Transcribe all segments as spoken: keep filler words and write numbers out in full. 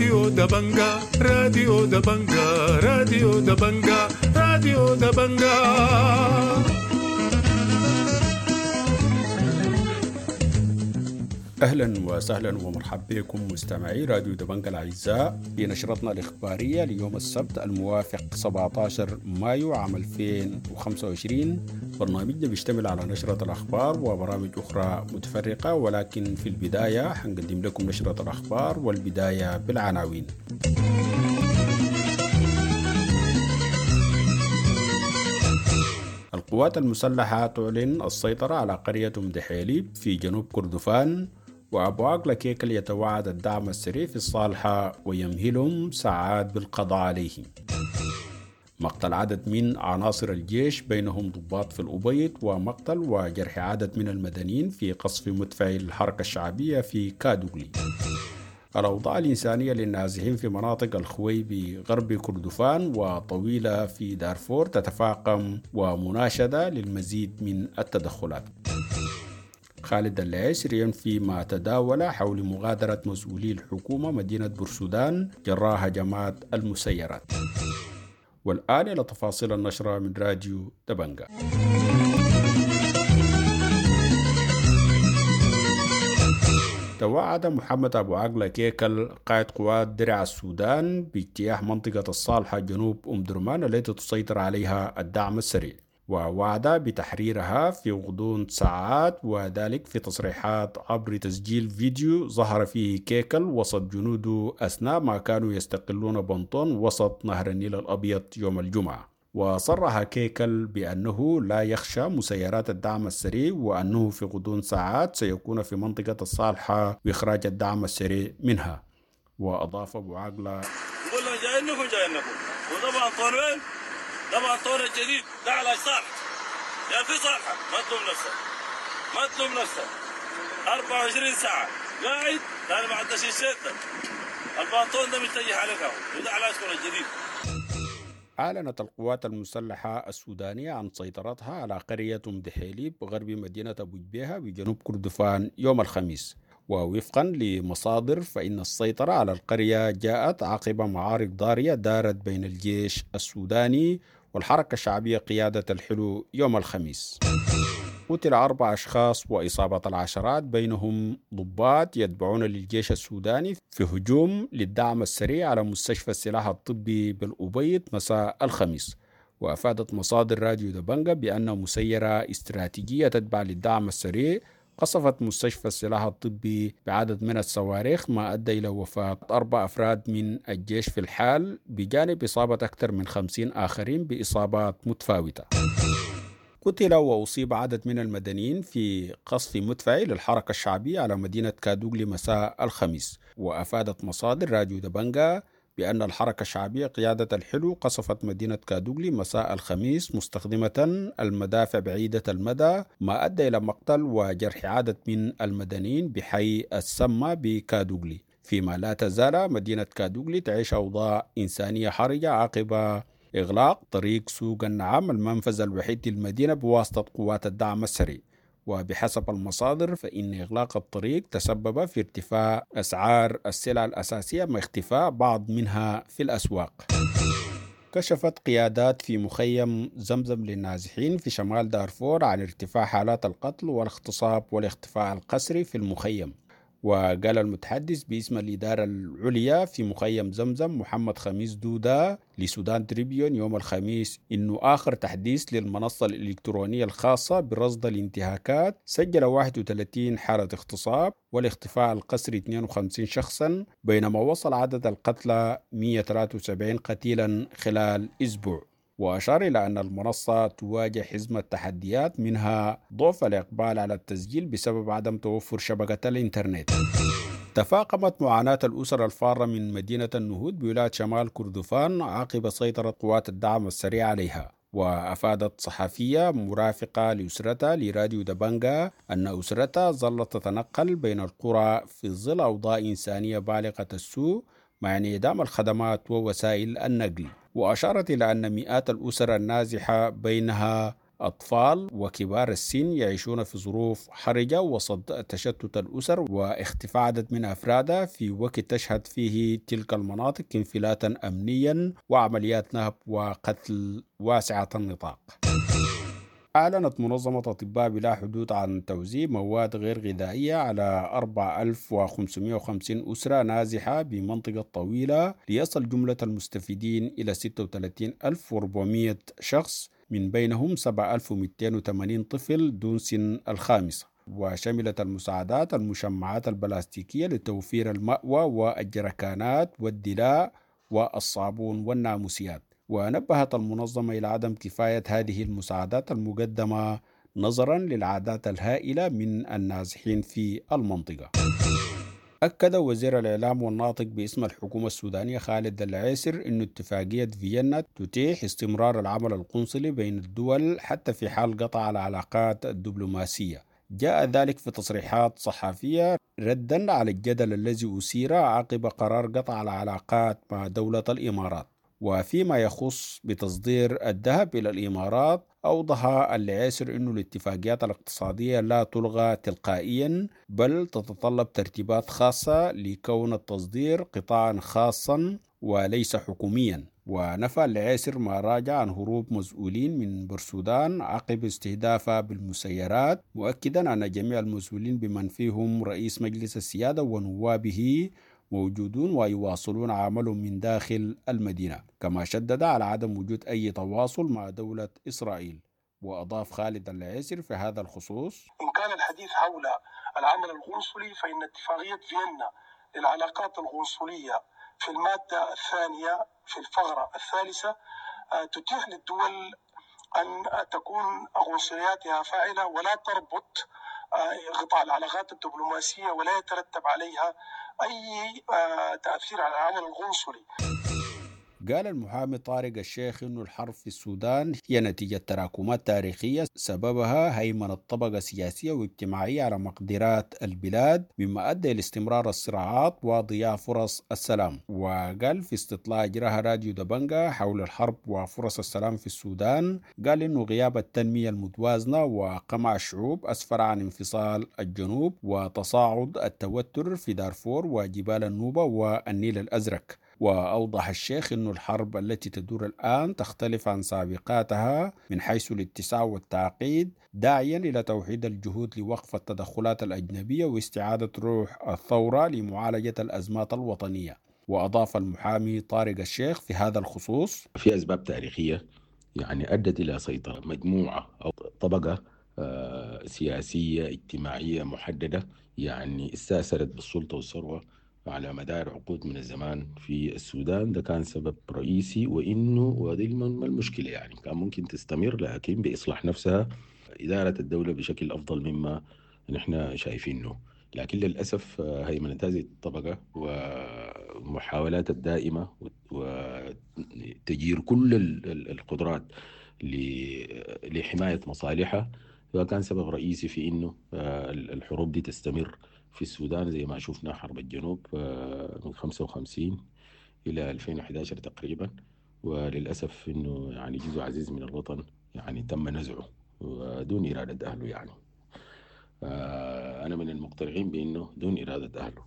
راديو دبنجا، راديو دبنجا، راديو دبنجا، راديو دبنجا. أهلا وسهلا ومرحبا بكم مستمعي راديو دبنجا الأعزاء في نشرتنا الإخبارية ليوم السبت الموافق سبعة عشر مايو عام ألفين وخمسة وعشرين. برنامجنا بيشتمل على نشرة الأخبار وبرامج أخرى متفرقة، ولكن في البداية حنقدم لكم نشرة الأخبار والبداية بالعناوين. القوات المسلحة تعلن السيطرة على قرية أم دحيليب في جنوب كردفان، وأبو عاقلة كيكل يتوعد الدعم السريع في الصالحة ويمهلهم ساعات بالقضاء عليهم. مقتل عدد من عناصر الجيش بينهم ضباط في الأبيض، ومقتل وجرح عدد من المدنيين في قصف مدفع الحركة الشعبية في كادوغلي. الأوضاع الإنسانية للنازحين في مناطق الخويبي غرب كردفان وطويلة في دارفور تتفاقم، ومناشدة للمزيد من التدخلات. خالد العسر ينفي ما تداول حول مغادرة مسؤولي الحكومة مدينة بورسودان جراء هجمات المسيرات. والآن إلى تفاصيل النشرة من راديو دبنجا. توعد محمد أبو عاقلة كيكل قائد قوات درع السودان باجتياح منطقة الصالحة جنوب أم درمان التي تسيطر عليها الدعم السريع، ووعد بتحريرها في غضون ساعات، وذلك في تصريحات عبر تسجيل فيديو ظهر فيه كيكل وسط جنوده أثناء ما كانوا يستقلون بنطون وسط نهر النيل الأبيض يوم الجمعة. وصرح كيكل بأنه لا يخشى مسيرات الدعم السريع، وأنه في غضون ساعات سيكون في منطقة الصالحة وإخراج الدعم السريع منها. وأضاف أبو عاقلة: نقول لهم جايينكم جايينكم، وطبعا طول وين؟ طبعا طول الجديد ده على صالح، يا في صالحة ما تلوم نفسك، ما تلوم نفسك، أربعة وعشرين ساعة قاعد لأن ما عندش الشيطان البنطون ده متجه عليك أهو، وده على الجديد. أعلنت القوات المسلحة السودانية عن سيطرتها على قرية أم دحيليب غرب مدينة أبو جبيهة بجنوب كردفان يوم الخميس، ووفقا لمصادر فإن السيطرة على القرية جاءت عقب معارك ضارية دارت بين الجيش السوداني والحركة الشعبية قيادة الحلو يوم الخميس. قتل أربع أشخاص وإصابة العشرات بينهم ضباط يتبعون للجيش السوداني في هجوم للدعم السريع على مستشفى السلاح الطبي بالأبيض مساء الخميس. وأفادت مصادر راديو دبنجا بأن مسيرة استراتيجية تتبع للدعم السريع قصفت مستشفى السلاح الطبي بعدد من الصواريخ، ما أدى إلى وفاة أربع أفراد من الجيش في الحال، بجانب إصابة أكثر من خمسين آخرين بإصابات متفاوتة. قتل وأصيب عدد من المدنيين في قصف مدفعي للحركة الشعبية على مدينة كادوغلي مساء الخميس. وأفادت مصادر راديو دبنجا بأن الحركة الشعبية قيادة الحلو قصفت مدينة كادوغلي مساء الخميس مستخدمة المدافع بعيدة المدى، ما أدى إلى مقتل وجرح عدد من المدنيين بحي السمة بكادوغلي، فيما لا تزال مدينة كادوغلي تعيش أوضاع إنسانية حرجة عقب إغلاق طريق سوق النعام المنفذ الوحيد للمدينة بواسطة قوات الدعم السريع. وبحسب المصادر فإن إغلاق الطريق تسبب في ارتفاع أسعار السلع الأساسية مع اختفاء بعض منها في الأسواق. كشفت قيادات في مخيم زمزم للنازحين في شمال دارفور عن ارتفاع حالات القتل والاغتصاب والاختفاء القسري في المخيم. وقال المتحدث باسم الإدارة العليا في مخيم زمزم محمد خميس دودا لسودان تريبيون يوم الخميس إنه آخر تحديث للمنصة الإلكترونية الخاصة برصد الانتهاكات سجل واحد وثلاثين حالة اغتصاب والاختفاء القسري اثنين وخمسين شخصا، بينما وصل عدد القتلى مئة وثلاثة وسبعين قتيلا خلال أسبوع. وأشار إلى أن المنصة تواجه حزمة تحديات، منها ضعف الإقبال على التسجيل بسبب عدم توفر شبكة الإنترنت. تفاقمت معاناة الأسر الفارة من مدينة النهود بولاية شمال كردفان عقب سيطرة قوات الدعم السريع عليها. وأفادت صحفية مرافقة لأسرتها لراديو دبنجا أن أسرتها ظلت تتنقل بين القرى في ظل أوضاع إنسانية بالغة السوء مع انعدام الخدمات ووسائل النقل. وأشارت إلى أن مئات الأسر النازحة بينها أطفال وكبار السن يعيشون في ظروف حرجة وسط تشتت الأسر واختفاء عدد من أفرادها في وقت تشهد فيه تلك المناطق انفلاتا أمنيا وعمليات نهب وقتل واسعة النطاق. أعلنت منظمة أطباء بلا حدود عن توزيع مواد غير غذائية على أربعة آلاف وخمسمائة وخمسين أسرة نازحة بمنطقة طويلة ليصل جملة المستفيدين إلى ستة وثلاثين ألف وأربعمائة شخص، من بينهم سبعة آلاف ومئتين وثمانين طفل دون سن الخامسة. وشملت المساعدات المشمعات البلاستيكية لتوفير المأوى والجركانات والدلاء والصابون والناموسيات. ونبهت المنظمة إلى عدم كفاية هذه المساعدات المقدمة نظرا للعادات الهائلة من النازحين في المنطقة. أكد وزير الإعلام والناطق باسم الحكومة السودانية خالد العيسر أن اتفاقية فيينا تتيح استمرار العمل القنصلي بين الدول حتى في حال قطع العلاقات الدبلوماسية. جاء ذلك في تصريحات صحفية ردا على الجدل الذي أثير عقب قرار قطع العلاقات مع دولة الإمارات. وفيما يخص بتصدير الذهب إلى الإمارات، أوضح العيسر أن الاتفاقيات الاقتصادية لا تلغى تلقائيا، بل تتطلب ترتيبات خاصة لكون التصدير قطاعا خاصا وليس حكوميا. ونفى العيسر ما راجع عن هروب مسؤولين من بورسودان عقب استهدافها بالمسيرات، مؤكدا أن جميع المسؤولين بمن فيهم رئيس مجلس السيادة ونوابه موجودون ويواصلون عملهم من داخل المدينة. كما شدد على عدم وجود أي تواصل مع دولة إسرائيل. وأضاف خالد العيسر في هذا الخصوص: إن كان الحديث حول العمل القنصلي فإن اتفاقية فيينا للعلاقات القنصلية في المادة الثانية في الفقرة الثالثة تتيح للدول أن تكون قنصلياتها فاعلة ولا تربط قطاع العلاقات الدبلوماسية ولا يترتب عليها أي تأثير على العمل القنصلي. قال المحامي طارق الشيخ إنه الحرب في السودان هي نتيجة تراكمات تاريخية سببها هيمنة طبقة سياسية واجتماعية على مقدرات البلاد، مما أدى إلى استمرار الصراعات وضياع فرص السلام. وقال في استطلاع أجراها راديو دبنجا حول الحرب وفرص السلام في السودان، قال إنه غياب التنمية المتوازنة وقمع الشعوب أسفر عن انفصال الجنوب وتصاعد التوتر في دارفور وجبال النوبة والنيل الأزرق. وأوضح الشيخ أن الحرب التي تدور الآن تختلف عن سابقاتها من حيث الاتساع والتعقيد، داعيا إلى توحيد الجهود لوقف التدخلات الأجنبية واستعادة روح الثورة لمعالجة الأزمات الوطنية. وأضاف المحامي طارق الشيخ في هذا الخصوص: في أسباب تاريخية يعني أدت إلى سيطرة مجموعة أو طبقة سياسية اجتماعية محددة يعني استأثرت بالسلطة والثروة على مدار عقود من الزمان في السودان. ده كان سبب رئيسي، وإنه وهذه المشكلة يعني كان ممكن تستمر لكن بإصلاح نفسها إدارة الدولة بشكل أفضل مما نحن شايفينه. لكن للأسف هيمنة هذه الطبقة ومحاولات الدائمة وتجير كل القدرات لحماية مصالحها فكان سبب رئيسي في إنه الحروب دي تستمر في السودان، زي ما شفنا حرب الجنوب من خمسة وخمسين إلى ألفين وأحد عشر تقريبا. وللأسف إنه يعني جزء عزيز من الوطن يعني تم نزعه دون إرادة أهله. يعني أنا من المقتنعين بأنه دون إرادة أهله.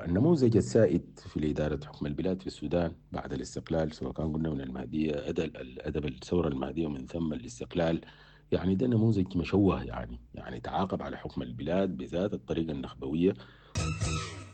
النموذج السائد في إدارة حكم البلاد في السودان بعد الاستقلال، سواء كان قلنا من المهدية أدب الثورة المهدية ومن ثم الاستقلال، يعني ده نموذج مشوه، يعني يعني تعاقب على حكم البلاد بذات الطريقة النخبوية.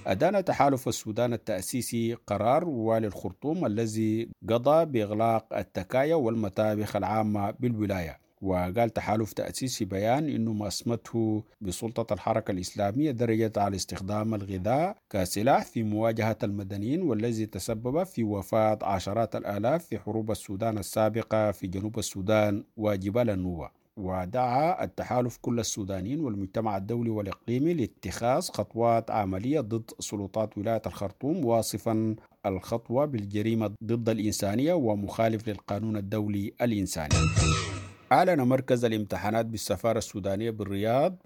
أدان تحالف السودان التأسيسي قرار والي الخرطوم الذي قضى بإغلاق التكايا والمطابخ العامة بالولاية. وقال تحالف تأسيسي بيان إنه ما أسمته بسلطة الحركة الإسلامية درجت على استخدام الغذاء كسلاح في مواجهة المدنيين، والذي تسبب في وفاة عشرات الآلاف في حروب السودان السابقة في جنوب السودان وجبال النوبة. ودعا التحالف كل السودانيين والمجتمع الدولي والإقليمي لاتخاذ خطوات عملية ضد سلطات ولاية الخرطوم، واصفا الخطوة بالجريمة ضد الإنسانية ومخالف للقانون الدولي الإنساني. أعلن مركز الامتحانات بالسفارة السودانية بالرياض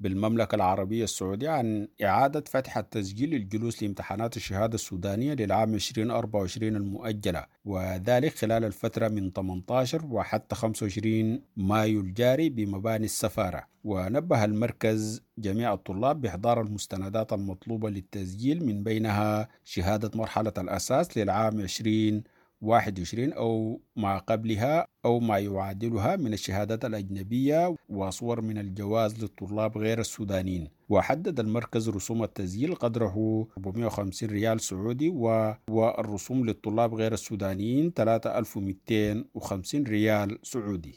بالمملكة العربية السعودية عن إعادة فتح التسجيل للجلوس لامتحانات الشهادة السودانية للعام ألفين وأربعة وعشرين المؤجلة، وذلك خلال الفترة من ثمانية عشر وحتى خمسة وعشرين مايو الجاري بمباني السفارة. ونبه المركز جميع الطلاب بإحضار المستندات المطلوبة للتسجيل، من بينها شهادة مرحلة الأساس للعام عشرين واحد وعشرين أو ما قبلها أو ما يعادلها من الشهادات الأجنبية، وصور من الجواز للطلاب غير السودانيين. وحدد المركز رسوم التسجيل قدره أربعمائة وخمسين ريال سعودي، والرسوم للطلاب غير السودانيين ثلاثة آلاف ومئتين وخمسين ريال سعودي.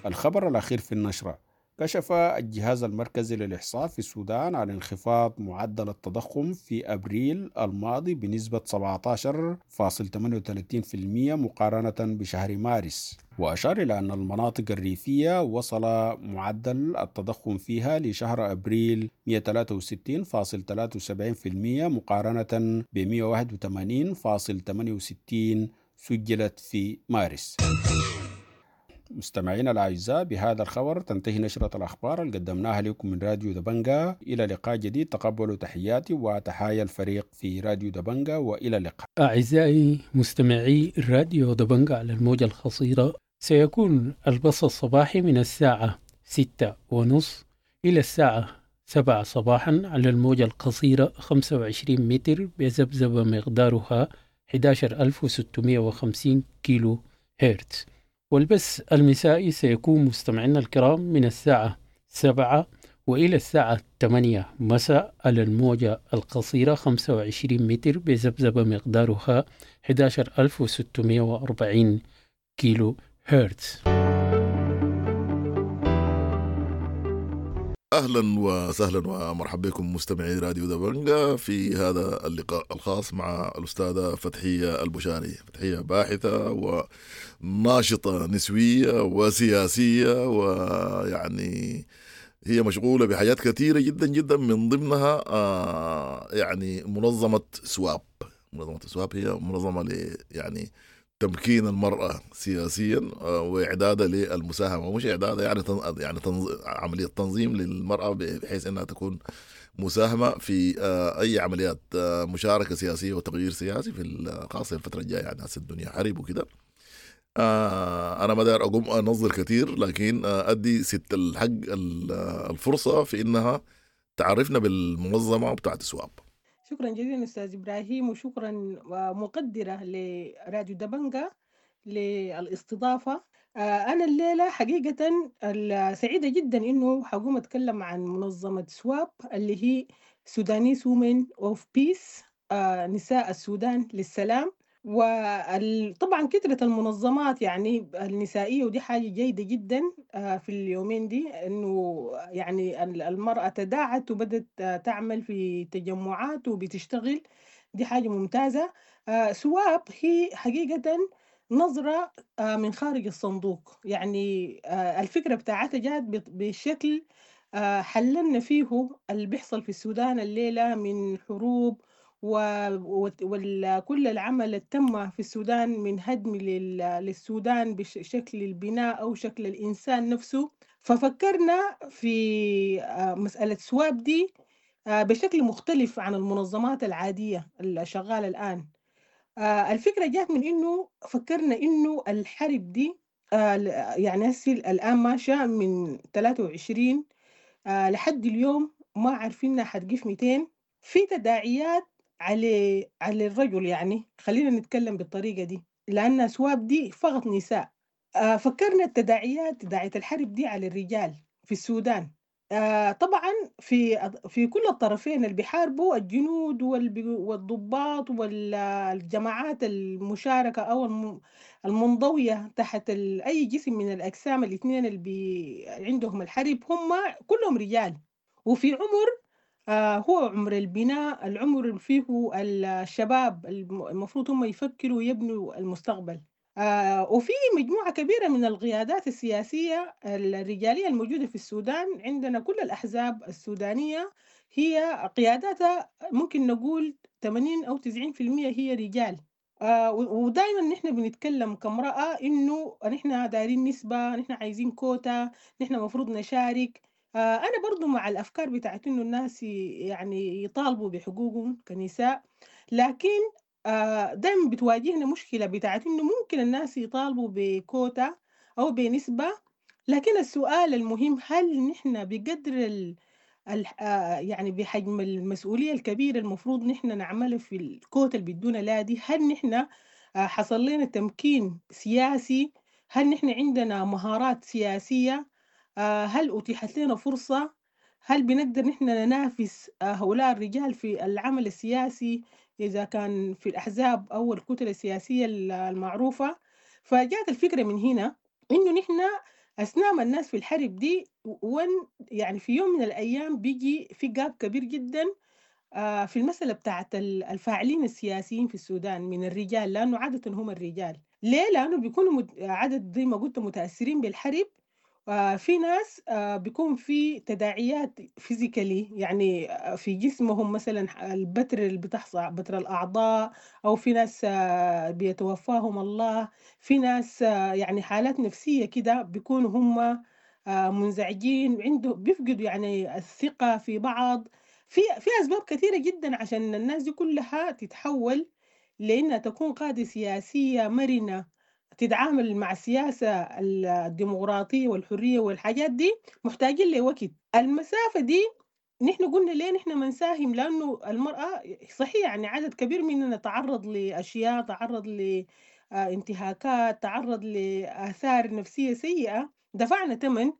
الخبر الأخير في النشرة: كشف الجهاز المركزي للإحصاء في السودان عن انخفاض معدل التضخم في أبريل الماضي بنسبة سبعة عشر فاصل ثمانية وثلاثين بالمئة مقارنة بشهر مارس. وأشار إلى أن المناطق الريفية وصل معدل التضخم فيها لشهر أبريل مئة وثلاثة وستين فاصل ثلاثة وسبعين بالمئة مقارنة ب مئة وواحد وثمانين فاصل ثمانية وستين سجلت في مارس. مستمعينا الأعزاء، بهذا الخبر تنتهي نشرة الأخبار اللي قدمناها لكم من راديو دبنجا. إلى لقاء جديد، تقبلوا تحياتي وتحايا الفريق في راديو دبنجا، وإلى اللقاء. أعزائي مستمعي راديو دبنجا على الموجة القصيرة، سيكون البث الصباحي من الساعة ستة ونص إلى الساعة سبعة صباحا على الموجة القصيرة خمسة وعشرين متر بذبذبة مقدارها أحد عشر ألف وستمائة وخمسين كيلو هرتز. والبث المسائي سيكون مستمعينا الكرام من الساعة سبعة وإلى الساعة ثمانية مساء على الموجة القصيرة خمسة وعشرين متر بذبذبة مقدارها أحد عشر ألف وستمائة وأربعين كيلو هرتز. أهلا وسهلا ومرحبا بكم مستمعي راديو دبنجا في هذا اللقاء الخاص مع الأستاذة فتحية البشاري. فتحية باحثة وناشطة نسوية وسياسية، ويعني هي مشغولة بحاجات كثيرة جدا جدا، من ضمنها آه يعني منظمة سواب. منظمة سواب هي منظمة ل يعني تمكين المرأة سياسيا وإعدادها للمساهمة، مش إعدادها يعني تن... يعني تنظ... عملية تنظيم للمرأة بحيث أنها تكون مساهمة في أي عمليات مشاركة سياسية وتغيير سياسي في خاصة الفترة الجاية، يعني هسه الدنيا حرب وكده. أنا ما داير أقوم أنظر كثير، لكن أدي ست الحق الفرصة في أنها تعرفنا بالمنظمة بتاعت سواب. شكرا جزيلا أستاذ إبراهيم، وشكرا مقدرة لراديو دبنجا للاستضافة. أنا الليلة حقيقة سعيدة جدا إنه حقوم أتكلم عن منظمة سواب اللي هي Sudanese Women of Peace، نساء السودان للسلام. وطبعا كثرة المنظمات يعني النسائية، ودي حاجة جيدة جدا في اليومين دي، انه يعني المرأة تداعت وبدت تعمل في تجمعات وبتشتغل، دي حاجة ممتازة. سواب هي حقيقة نظرة من خارج الصندوق، يعني الفكرة بتاعتها جات بشكل حللنا فيه اللي بيحصل في السودان الليلة من حروب وكل العمل اللي تم في السودان من هدم للسودان بشكل البناء أو شكل الإنسان نفسه. ففكرنا في مسألة سواب دي بشكل مختلف عن المنظمات العادية اللي شغالة الآن. الفكرة جاءت من إنه فكرنا إنه الحرب دي يعني الآن ماشية من ثلاثة وعشرين لحد اليوم ما عارفينها حتقف مئتين، في تداعيات على على الرجل، يعني خلينا نتكلم بالطريقة دي لأن سواب دي فقط نساء. آه فكرنا التداعيات تداعيات الحرب دي على الرجال في السودان. آه طبعا في في كل الطرفين اللي بيحاربوا، الجنود والضباط والجماعات المشاركة أو المنضوية تحت أي جسم من الأجسام الاثنين اللي بي عندهم الحرب، هم كلهم رجال وفي عمر آه هو عمر البناء، العمر اللي فيه الشباب المفروض هم يفكروا ويبنوا المستقبل. آه وفي مجموعة كبيرة من القيادات السياسية الرجالية الموجودة في السودان، عندنا كل الأحزاب السودانية هي قياداتها ممكن نقول ثمانين أو تسعين بالمئة هي رجال. آه ودائما نحن بنتكلم كامرأة إنه نحن دايرين نسبة، نحن عايزين كوتا، نحن مفروض نشارك. آه أنا برضو مع الأفكار بتاعت إنه الناس يعني يطالبوا بحقوقهم كنساء، لكن آه دائما بتواجهنا مشكلة بتاعت إنه ممكن الناس يطالبوا بكوتا أو بنسبة، لكن السؤال المهم هل نحن بقدر ال يعني بحجم المسؤولية الكبيرة المفروض نحن نعملها في الكوتا اللي بيدونا لا دي، هل نحن حصل لنا تمكين سياسي؟ هل نحن عندنا مهارات سياسية؟ هل أتيحت لنا فرصة؟ هل بنقدر نحن ننافس هؤلاء الرجال في العمل السياسي إذا كان في الأحزاب أو الكتل السياسية المعروفة؟ فجاءت الفكرة من هنا إنه نحن أثناء ما الناس في الحرب دي ون يعني في يوم من الأيام بيجي في جاب كبير جدا في المسألة بتاعت الفاعلين السياسيين في السودان من الرجال، لأنه عادة هم الرجال. ليه؟ لأنه بيكونوا عدد زي ما قلت متأثرين بالحرب. في ناس بيكون في تداعيات فيزيكالي يعني في جسمهم، مثلا البتر اللي بتحصل بتر الأعضاء، أو في ناس بيتوفاهم الله، في ناس يعني حالات نفسية كده بيكونوا هم منزعجين، عنده بيفقدوا يعني الثقة في بعض. في في أسباب كثيرة جدا عشان الناس دي كلها تتحول لأنها تكون قادة سياسية مرنة تتعامل مع السياسة الديمقراطية والحرية والحاجات دي، محتاجين لوقت. المسافة دي نحن قلنا ليه نحن ما نساهم، لأنه المرأة صحيح يعني عدد كبير مننا تعرض لأشياء، تعرض لانتهاكات، تعرض لآثار نفسية سيئة، دفعنا ثمن،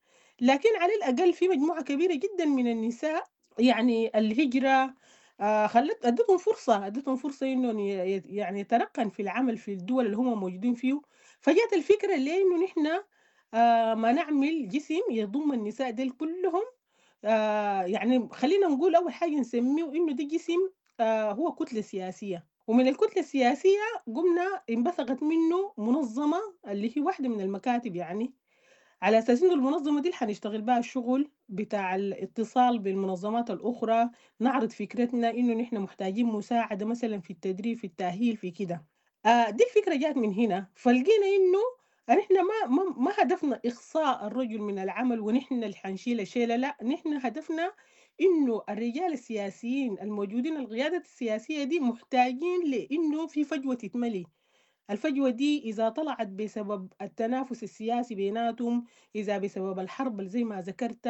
لكن على الأقل في مجموعة كبيرة جدا من النساء يعني الهجرة خلت ادتهم فرصة، ادتهم فرصة انه يعني يترقن في العمل في الدول اللي هم موجودين فيه. فجأت الفكرة ليه انه نحن ما نعمل جسم يضم النساء ديل كلهم، يعني خلينا نقول اول حاجة نسميه انه ده جسم هو كتلة سياسية، ومن الكتلة السياسية قمنا انبثقت منه منظمة اللي هي واحدة من المكاتب، يعني على أساس إنه المنظمة دي حنشتغل بها الشغل بتاع الاتصال بالمنظمات الأخرى، نعرض فكرتنا إنه نحن محتاجين مساعدة مثلا في التدريب، في التأهيل، في كده. آه دي الفكرة جات من هنا. فلقينا إنه نحن ما, ما, ما هدفنا إقصاء الرجل من العمل ونحن اللي حنشيل الشيلة، لا، نحن هدفنا إنه الرجال السياسيين الموجودين، القيادة السياسية دي محتاجين لإنه في فجوة تتملي. الفجوة دي إذا طلعت بسبب التنافس السياسي بيناتهم، إذا بسبب الحرب زي ما ذكرت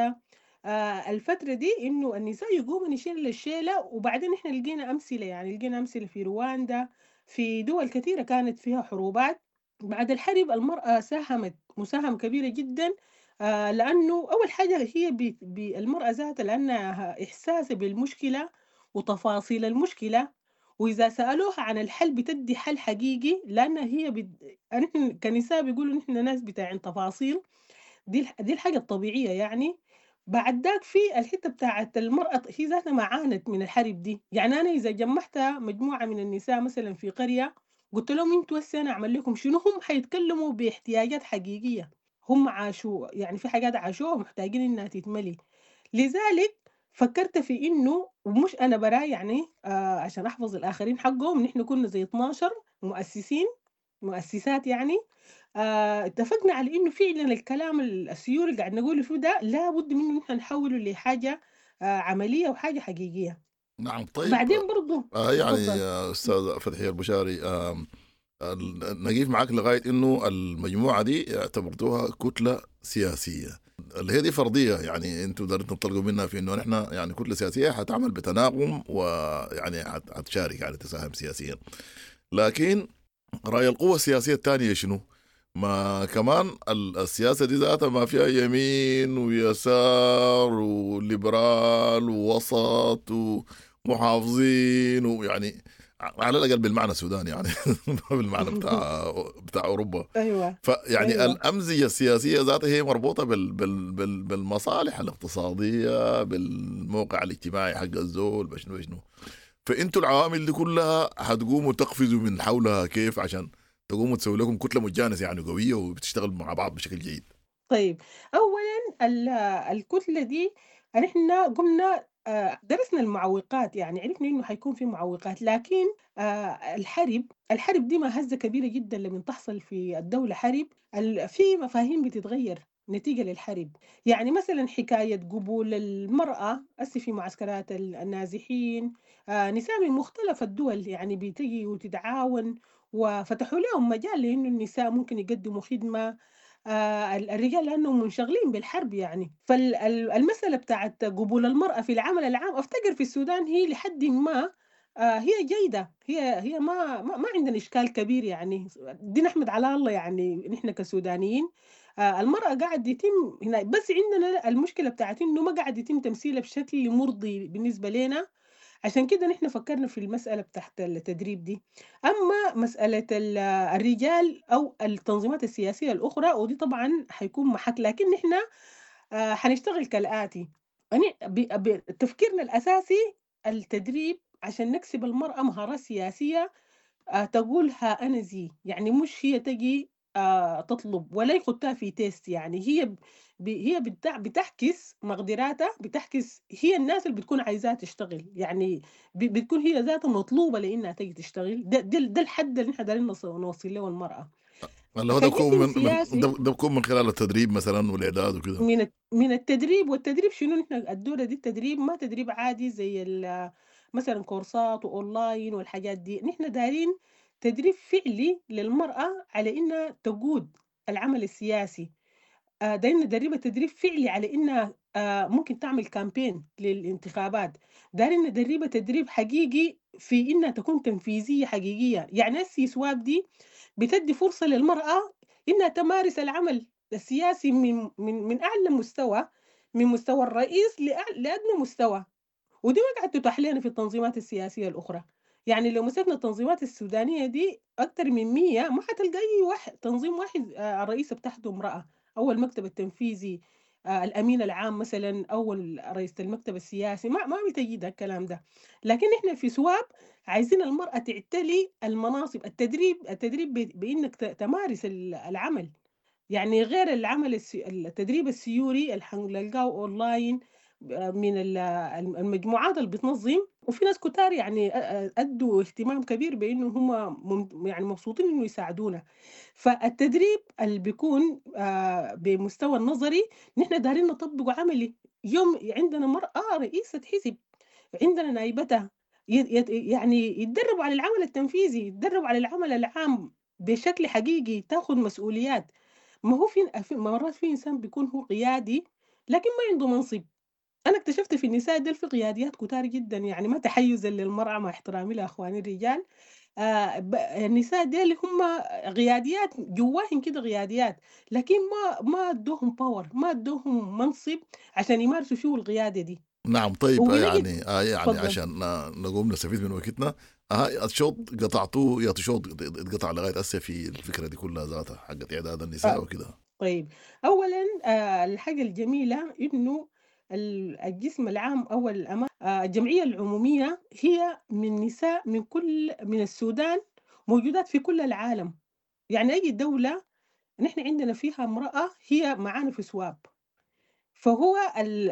آه الفترة دي، إنه النساء يقوموا يشيلوا الشيلة. وبعدين إحنا لقينا أمثلة، يعني لقينا أمثلة في رواندا، في دول كثيرة كانت فيها حروبات. بعد الحرب المرأة ساهمت مساهمة كبيرة جدا، آه لأنه أول حاجة هي بالمرأة ذاتها، لأنها إحساسها بالمشكلة وتفاصيل المشكلة، وإذا سألوها عن الحل بتدي حل حقيقي، لأن هي بت... نحن كنساء بيقولوا نحن ناس بتاعين تفاصيل، دي دي الحاجة الطبيعية يعني. بعد ذاك في الحتة بتاعت المرأة هي ذاتها ما عانت من الحرب دي. يعني أنا إذا جمعت مجموعة من النساء مثلا في قرية قلت لهم انتوا هسه أنا أعمل لكم شنو، هم حيتكلموا باحتياجات حقيقية هم عاشوا، يعني في حاجات عاشوها محتاجين إنها تتملي. لذلك فكرت في إنه، ومش أنا براي يعني آه عشان أحفظ الآخرين حقهم، نحن كنا زي اثناشر مؤسسين مؤسسات يعني، آه اتفقنا على إنه فعلا الكلام السيوري اللي قاعد نقوله فيه ده لابد منه نحن نحوله لحاجة آه عملية وحاجة حقيقية. نعم. طيب بعدين برضو آه يعني أستاذ فتحية البشاري، آه نقيف معك لغاية إنه المجموعة دي اعتبرتوها كتلة سياسية، اللي هي دي فرضية يعني انتم دارين تنطلقوا منها في انه نحن يعني كتلة سياسية حتعمل بتناغم ويعني حتشارك يعني تساهم سياسيا. لكن رأي القوة السياسية الثانية شنو؟ ما كمان السياسة دي ذاتها ما فيها يمين ويسار وليبرال ووسط ومحافظين، ويعني على الأقل بالمعنى السوداني يعني بالمعنى بتاع بتاع أوروبا. أيوة. فيعني أيوة. الأمزجة السياسية ذاتها هي مربوطة بال بال بال بالمصالح الاقتصادية، بالموقع الاجتماعي حق الزول، بشنو بشنو. فأنتوا العوامل دي كلها هتقوموا تقفزوا من حولها كيف عشان تقوموا تسوي لكم كتلة متجانسة يعني قوية وبتشتغل مع بعض بشكل جيد؟ طيب أولا الكتلة دي نحن قمنا آه، درسنا المعوقات، يعني عرفنا إنه حيكون في معوقات، لكن آه، الحرب الحرب دي ما هزة كبيرة جدا لما تحصل في الدولة حرب، في مفاهيم بتتغير نتيجة للحرب. يعني مثلا حكاية قبول المرأة هسه في معسكرات النازحين، آه، نساء من مختلف الدول يعني بتجي وتتعاون، وفتحوا لهم مجال لأنه النساء ممكن يقدموا خدمة، آه، الرجال لأنهم منشغلين بالحرب يعني. فالمسألة بتاعت قبول المرأة في العمل العام أفتكر في السودان هي لحد ما آه، هي جيدة، هي هي ما ما عندنا إشكال كبير يعني، دي نحمد على الله يعني نحن كسودانيين. آه، المرأة قاعد يتم هنا، بس عندنا المشكلة بتاعت إنه ما قاعد يتم تمثيلها بشكل مرضي بالنسبة لنا، عشان كده نحن فكرنا في المسألة بتاعت التدريب دي. أما مسألة الرجال أو التنظيمات السياسية الأخرى ودي طبعا حيكون محك، لكن نحن آه، حنشتغل كالآتي. يعني تفكيرنا الأساسي التدريب عشان نكسب المرأة مهارات سياسية آه، تقولها أنا زي، يعني مش هي تجي آه، تطلب ولا يخطها في test، يعني هي ب... هي بتعكس مقدراتها، بتعكس هي الناس اللي بتكون عايزاها تشتغل، يعني ب... بتكون هي ذاتها مطلوبة لإنها تجي تشتغل. ده, ده, ده الحد اللي نحن دايرين نوصل له المرأة. اللي هو ده بيكون من, من ده بيكون من خلال التدريب مثلا والإعداد وكده. من من التدريب. والتدريب شنو؟ نحن الدورة دي التدريب ما تدريب عادي زي مثلا كورسات وأونلاين والحاجات دي، نحن دايرين تدريب فعلي للمرأة على إنها تقود العمل السياسي. دايرين ندربها تدريب فعلي على إنها ممكن تعمل campaign للانتخابات. دايرين ندربها تدريب حقيقي في إنها تكون تنفيذية حقيقية. يعني السي سواب دي بتدي فرصة للمرأة إنها تمارس العمل السياسي من من من أعلى مستوى، من مستوى الرئيس لأدنى مستوى، ودي ما قاعد تتاح لنا في التنظيمات السياسية الأخرى. يعني لو مسكنا التنظيمات السودانية دي أكتر من مية ما حتلقى أي واحد تنظيم واحد الرئيسة بتاعته امرأة، أو المكتب التنفيذي الأمين العام مثلا، أو رئيسة المكتب السياسي، ما ما بتجد الكلام ده. لكن إحنا في سواب عايزين المرأة تعتلي المناصب. التدريب التدريب بإنك تمارس العمل، يعني غير العمل السي... التدريب السيوري اللي حنلقاه أونلاين من المجموعات اللي بتنظم، وفي ناس كتار يعني أدوا اهتمام كبير بإنه هم يعني مبسوطين إنه يساعدونا. فالتدريب اللي بيكون بمستوى النظري نحن دارين نطبقه عملي. يوم عندنا مرأة رئيسة حزب، عندنا نائبتها، يعني يتدربوا على العمل التنفيذي، يتدربوا على العمل العام بشكل حقيقي، تاخذ مسؤوليات. ما هو في مرات في إنسان بيكون هو قيادي لكن ما عنده منصب. أنا اكتشفت في النساء ديل في قياديات كتار جدا، يعني ما تحيزا للمرأة مع احترامي لأخواني الرجال، آه النساء ديل هم قياديات جواهن كده قياديات، لكن ما ما ادوهم power، ما ادوهم منصب عشان يمارسوا فيه القيادة دي. نعم. طيب يعني آه يعني فضل. عشان نقوم نستفيد من وقتنا، آه الشوط قطعتوه يا شوط اتقطع لغاية هسه في الفكرة دي كلها ذاتها حقت إعداد النساء آه. وكده. طيب أولا آه الحاجة الجميلة إنه الجسم العام أو الجمعية العمومية هي من نساء من كل من السودان، موجودات في كل العالم. يعني أي دولة نحن عندنا فيها امرأة هي معانا في سواب. فهو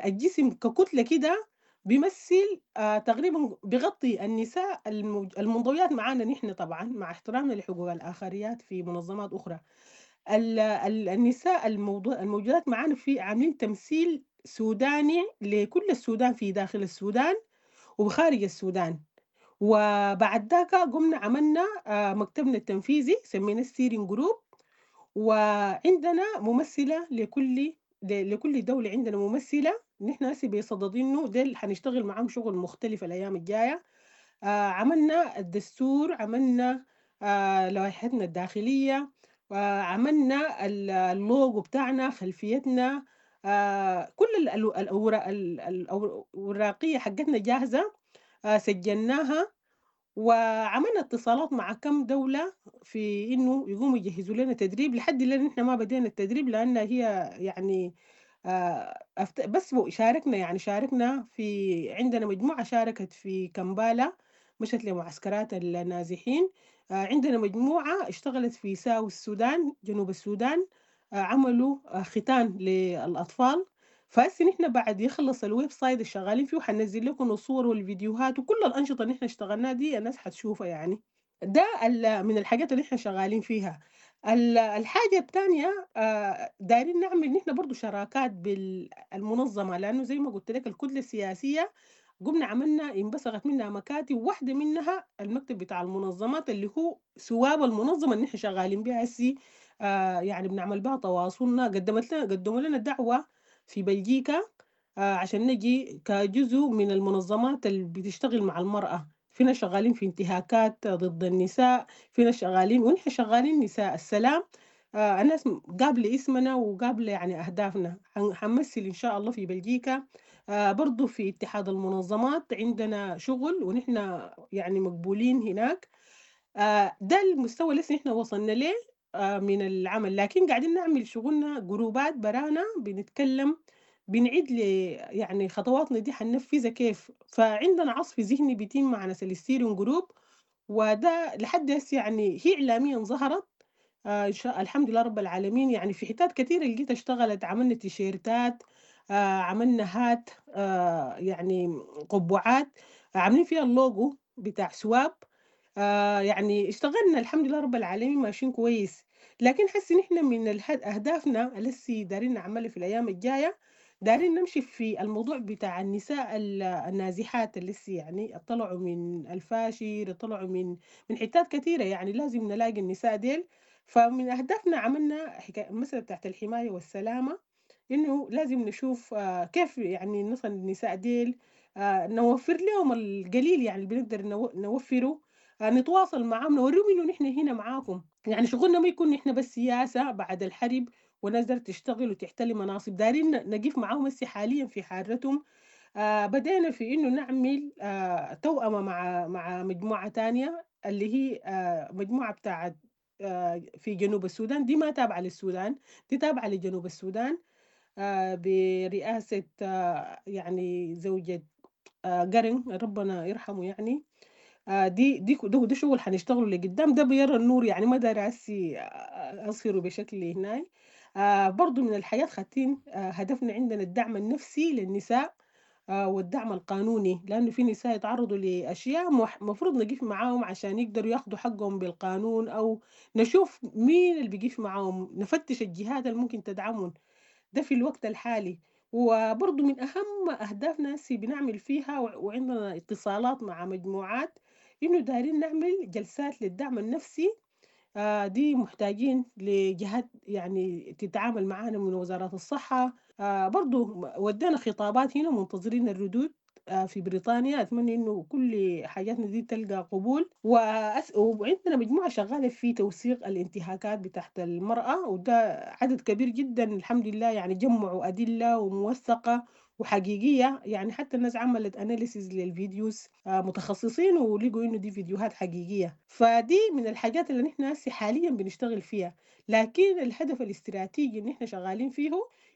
الجسم ككتلة كده بيمثل تقريبا بيغطي النساء المنضويات معانا نحن، طبعا مع احترامنا لحقوق الآخريات في منظمات أخرى. النساء الموجودات معانا في عاملين تمثيل سوداني لكل السودان في داخل السودان وخارج السودان. وبعد ذاك قمنا عملنا مكتبنا التنفيذي سميناه ال steering group، وعندنا ممثلة لكل لكل دولة، عندنا ممثلة. نحن هسه بيصددينه ديل حنشتغل معاهم شغل مختلف الأيام الجاية. عملنا الدستور، عملنا لوائحتنا الداخلية، وعملنا اللوجو بتاعنا، خلفيتنا، آه كل الأوراق الأوراقية حقتنا جاهزة، آه سجلناها، وعملنا اتصالات مع كم دولة في إنه يقوموا يجهزوا لنا تدريب. لحد الآن إحنا ما بدينا التدريب لأن هي يعني آه بس شاركنا، يعني شاركنا في عندنا مجموعة شاركت في كمبالا، مشت لمعسكرات النازحين. آه عندنا مجموعة اشتغلت في ساو السودان، جنوب السودان، عملوا ختان للأطفال. فهسه نحن بعد يخلص ال website اللي شغالين فيه حننزل لكم الصور والفيديوهات وكل الأنشطة اللي نحن اشتغلناها دي الناس حتشوفها. يعني ده من الحاجات اللي احنا شغالين فيها. الحاجة الثانية دايرين نعمل نحن برضو شراكات بالمنظمة، لأنه زي ما قلت لك الكتلة السياسية قمنا عملنا انبثقت منها مكاتب، واحدة منها المكتب بتاع المنظمات اللي هو سواب المنظمة اللي نحن شغالين بها هسي، آه يعني بنعمل بها تواصلنا. قدمت لنا قدموا لنا دعوة في بلجيكا آه عشان نجي كجزء من المنظمات اللي بتشتغل مع المرأة. فينا شغالين في انتهاكات ضد النساء، فينا شغالين ونحن شغالين نساء السلام. آه الناس قابلة اسمنا وقابلة يعني أهدافنا. حنمثل إن شاء الله في بلجيكا. آه برضو في اتحاد المنظمات عندنا شغل ونحن يعني مقبولين هناك. آه ده المستوى اللي نحن وصلنا له آه من العمل، لكن قاعدين نعمل شغلنا جروبات برانا، بنتكلم بنعيد ل يعني خطواتنا دي حننفذها كيف. فعندنا عصف ذهني بيتم مع ناس ال steering group، وده لحد هسه يعني هي إعلاميا ظهرت آه إن شاء الحمد لله رب العالمين. يعني في حتات كثيرة لقيت اشتغلت، عملنا تيشيرتات، آه عملنا hat، آه يعني قبعات عاملين فيها اللوجو بتاع سواب، آه يعني اشتغلنا الحمد لله رب العالمين ماشيين كويس. لكن حس نحن من أهدافنا اللي دارين نعملها في الأيام الجاية، دارين نمشي في الموضوع بتاع النساء النازحات اللي يعني طلعوا من الفاشر، طلعوا من من حتات كثيرة، يعني لازم نلاقي النساء ديل. فمن أهدافنا عملنا حكاية المسألة بتاعت الحماية والسلامة، إنه لازم نشوف كيف يعني نصل النساء ديل، نوفر لهم القليل يعني اللي بنقدر نوفره، نتواصل معهم، نوريهم إنه نحن هنا معاكم. يعني شغلنا ما يكون نحن بس سياسة بعد الحرب وناس دارت تشتغل وتحتل مناصب، دارين نقف معاهم هسه حاليا في حارتهم. آه بدينا في إنه نعمل آه توأمة مع مع مجموعة تانية اللي هي آه مجموعة بتاعت آه في جنوب السودان، دي ما تابعة للسودان، دي تابعة لجنوب السودان، آه برئاسة آه يعني زوجة آه قرن ربنا يرحمه. يعني آه دي دي ده, ده شغل حنشتغله لقدام، ده بيرى النور يعني ما داري هسي أصهره بشكل هناي. آه برضو من الحياة خاتين آه هدفنا عندنا الدعم النفسي للنساء آه والدعم القانوني، لأنه في نساء يتعرضوا لأشياء مفروض نقف معاهم عشان يقدروا ياخدوا حقهم بالقانون، أو نشوف مين اللي بيقف معاهم، نفتش الجهات اللي ممكن تدعمهم ده في الوقت الحالي. وبرضو من أهم أهدافنا هسي بنعمل فيها وعندنا اتصالات مع مجموعات، إنه دايرين نعمل جلسات للدعم النفسي. آه دي محتاجين لجهات يعني تتعامل معانا من وزارات الصحة. آه برضو ودينا خطابات هنا منتظرين الردود آه في بريطانيا، أتمنى إنه كل حاجاتنا دي تلقى قبول. وأس... وعندنا مجموعة شغالة في توثيق الانتهاكات بتاعت المرأة، وده عدد كبير جدا الحمد لله، يعني جمعوا أدلة وموثقة وحقيقية، يعني حتى الناس عملت analysis لل videos متخصصين ولقوا إنه دي فيديوهات حقيقية. فدي من الحاجات اللي نحن هسه حاليا بنشتغل فيها. لكن الهدف الاستراتيجي اللي نحن شغالين فيه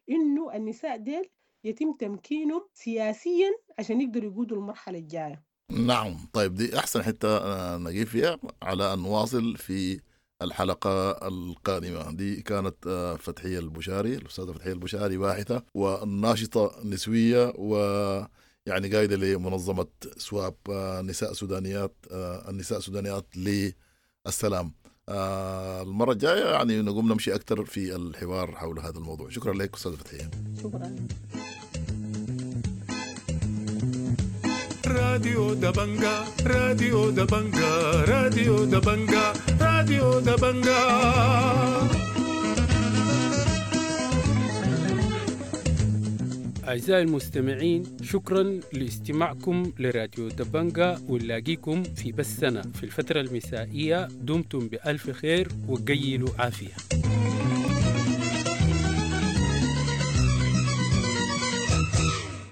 إنه النساء ديل يتم تمكينهم سياسيا عشان يقدروا يقودوا المرحلة الجاية. نعم، طيب دي أحسن حتة نجيب فيها على أن نواصل في الحلقة القادمة. دي كانت فتحية البشاري، الأستاذة فتحية البشاري، باحثة وناشطة نسوية ويعني قايدة لمنظمة سواب نساء سودانيات، النساء السودانيات للسلام. المرة الجاية يعني نقوم نمشي أكثر في الحوار حول هذا الموضوع. شكرا لك أستاذة فتحية. شكرا. راديو دبنجا، راديو دبنجا، راديو دبنجا، راديو دبنجا. أعزائي المستمعين، شكرا لاستماعكم لراديو دبنجا، ونلاقيكم في بثنا في الفترة المسائية. دمتم بألف خير وقيلوا عافية.